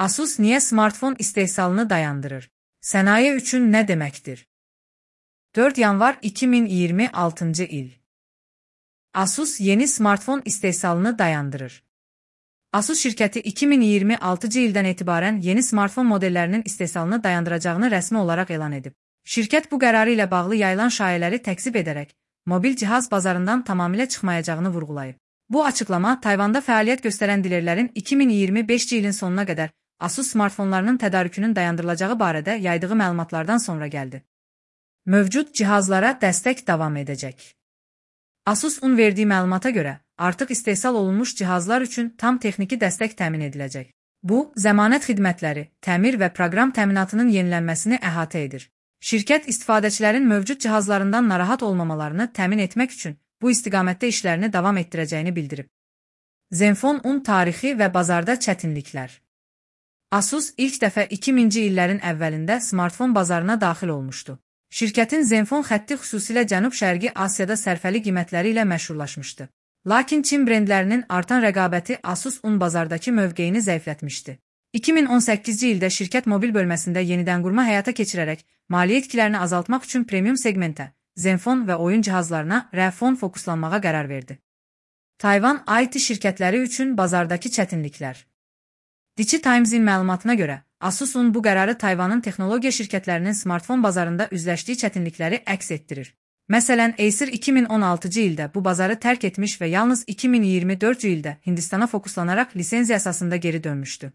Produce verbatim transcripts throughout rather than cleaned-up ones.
Asus niye smartfon istehsalını dayandırır? Sənaye üçün nə deməkdir? dörd yanvar iki min iyirmi altıncı il. Asus yeni smartfon istehsalını dayandırır. Asus şirkəti iki min iyirmi altıncı ildən etibarən yeni smartfon modellərinin istehsalını dayandıracağını rəsmi olaraq elan edib. Şirkət bu qərarı ilə bağlı yayılan şayələri təkzib edərək, mobil cihaz bazarından tamamilə çıxmayacağını vurğulayıb. Bu açıqlama Tayvanda fəaliyyət göstərən dilerlərin iki min iyirmi beşinci ilin sonuna qədər Asus smartfonlarının tədarükünün dayandırılacağı barədə yaydığı məlumatlardan sonra gəldi. Mövcud cihazlara dəstək davam edəcək. Asus-un verdiyi məlumata görə, artıq istehsal olunmuş cihazlar üçün tam texniki dəstək təmin ediləcək. Bu, zəmanət xidmətləri, təmir və proqram təminatının yenilənməsini əhatə edir. Şirkət istifadəçilərin mövcud cihazlarından narahat olmamalarını təmin etmək üçün bu istiqamətdə işlərini davam etdirəcəyini bildirib. Zenfone on tarixi və bazarda çətinliklər. Asus ilk dəfə iki minci illərin əvvəlində smartfon bazarına daxil olmuşdu. Şirkətin Zenfone xətti xüsusilə Cənub-Şərqi Asiyada sərfəli qiymətləri ilə məşhurlaşmışdı. Lakin Çin brendlərinin artan rəqabəti Asus-un bazardakı mövqeyini zəiflətmişdi. iki min on səkkizinci ildə şirkət mobil bölməsində yenidən qurma həyata keçirərək, maliyyə itkilərini azaltmaq üçün premium segmentə, Zenfone və oyun cihazlarına Rəfon fokuslanmağa qərar verdi. Tayvan I T şirkətləri üçün bazardakı çətinliklər. Dici Times-in məlumatına görə, Asus-un bu qərarı Tayvanın texnologiya şirkətlərinin smartfon bazarında üzləşdiyi çətinlikləri əks etdirir. Məsələn, Acer iki min on altıncı ildə bu bazarı tərk etmiş və yalnız iki min iyirmi dördüncü ildə Hindistana fokuslanaraq lisenziya əsasında geri dönmüşdü.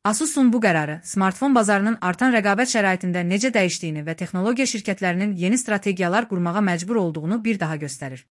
Asus-un bu qərarı smartfon bazarının artan rəqabət şəraitində necə dəyişdiyini və texnologiya şirkətlərinin yeni strategiyalar qurmağa məcbur olduğunu bir daha göstərir.